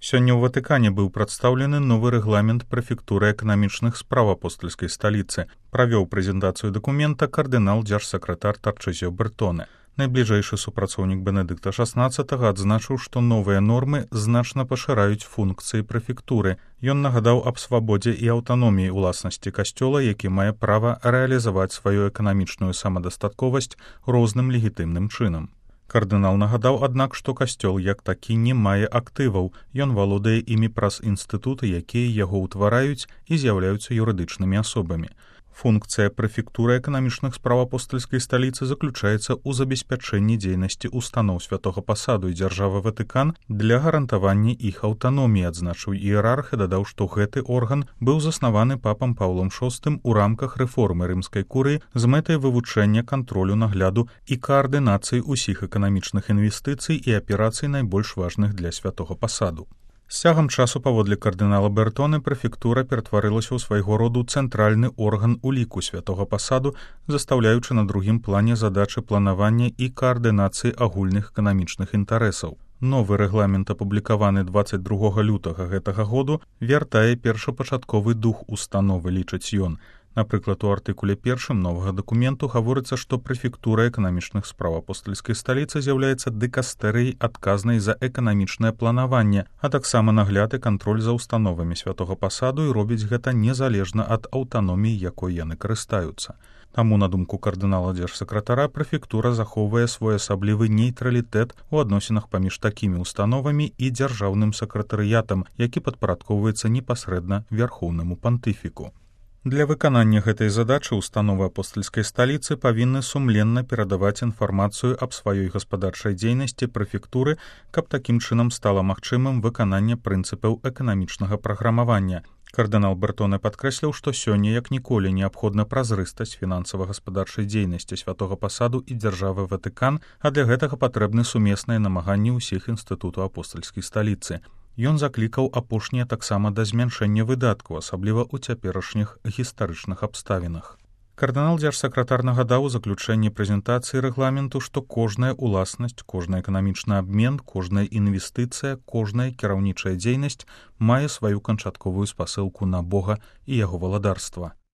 Сёння ў Ватыкане быў прадстаўлены новы рэгламент прэфектуры эканамічных спраў апостальскай сталіцы. Правёў прэзентацыю дакумента кардынал дзяржсакратар Тарчызіо Бертоне. Найбліжэйшы супрацоўнік Бенедыкта XVI адзначыў, што новыя нормы значна пашыраюць функцыі прэфектуры. Ён нагадаў аб свабодзе і аўтаноміі ўласнасці касцёла, які мае права рэалізаваць сваю эканамічную самадастатковасць розным легітымным чынам. Кардынал нагадаў, аднак, што касцёл як такі не мае актываў, ён валодае імі праз інстытуты, якія яго ўтвараюць і з'яўляюцца юрыдычнымі асобамі. Функцыя прэфектуры эканамічных спраў апостальскай сталіцы заключаецца ў забеспячэнні дзейнасці устаноў святога пасаду і дзяржавы Ватыкан для гарантавання іх аўтаноміі, адзначыў іерарх і дадаў, што гэты орган быў заснаваны папам Паўлом VI у рамках рэформы рымскай курыі з мэтай вывучэння кантролю нагляду і каардынацыі ўсіх эканамічных інвестыцый і аперацый найбольш важных для святога пасаду. З цягам часу, паводле кардынала Бертоне, прэфектура ператварылася ў свайго роду цэнтральны орган уліку святога пасаду, застаўляючы на другім плане задачы планавання і каардынацыі агульных эканамічных інтарэсаў. Новы рэгламент, апублікаваны 22 лютага гэтага году, вяртае першапачатковы дух установы, лічыць ён. Напрыклад, у артыкуле 1 новага дакументу гаворыцца, што прэфектура эканамічных спраў апостальскай сталіцы з'яўляецца дыкастэрыяй адказнай за эканамічнае планаванне, а таксама нагляд і кантроль за установамі святога пасаду і робіць гэта незалежна ад аўтаноміі, якой яны карыстаюцца. Таму, на думку кардынала дзяржсакратара, прэфектура захоўвае своеасаблівы нейтралітэт у адносінах паміж такімі установамі і дзяржаўным сакратарыятам, які падпарадкоўваецца непасрэдна вярхоўнаму пантыфіку. Для выканання гэтай задачы установы апостальскай сталіцы павінны сумленна перадаваць інфармацыю аб сваёй гаспадарчай дзейнасці прэфектуры, каб такім чынам стала магчымым выкананне прынцыпаў эканамічнага праграмавання. Кардынал Бертоне падкрэсліў, што сёння як ніколі неабходна празрыстасць фінансава-гаспадарчай дзейнасці святога пасаду і дзяржавы Ватыкан, а для гэтага патрэбны сумесныя намаганні ўсіх інстытутаў апостальскай сталіцы. Ён заклікаў апошнія таксама да змяншэння выдаткаў, асабліва ў цяперашніх гістарычных абставінах. Кардынал дзяржсакратар нагадаў у заключэнні прэзентацыі рэгламенту, што кожная ўласнасць, кожны эканамічны абмен, кожная інвестыцыя, кожная кіраўнічая дзейнасць мае сваю канчатковую спасылку на Бога і яго валадарства.